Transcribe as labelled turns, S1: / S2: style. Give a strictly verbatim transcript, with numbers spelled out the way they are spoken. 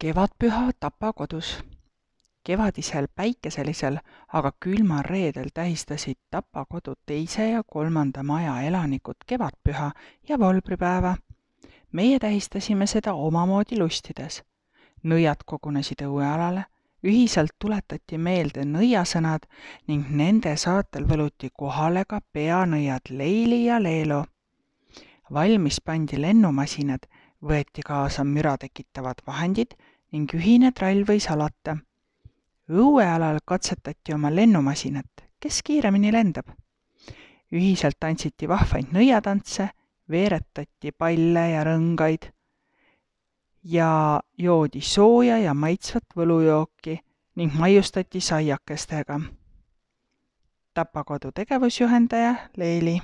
S1: Kevadpüha Tapa kodus. Kevadisel päikeselisel, aga külmal reedel tähistasid Tapa kodu teise ja kolmanda maja elanikud kevadpüha ja volbripäeva. Meie tähistasime seda omamoodi lustides. Nõiad kogunesid õuealale, ühiselt tuletati meelde nõiasõnad ning nende saatel võluti kohale ka peanõiad Leili ja Leelo. Valmis pandi lennumasinad, võeti kaasa müra tekitavad vahendid ning ühine trall võis alata. Õuealal katsetati oma lennumasinat, kes kiiremini lendab. Ühiselt tantsiti vahvaid nõiatantse, veeretati palle ja rõngaid ja joodi sooja ja maitsvat võlujooki ning maiustati saiakestega. Tapa kodu tegevusjuhendaja Leili.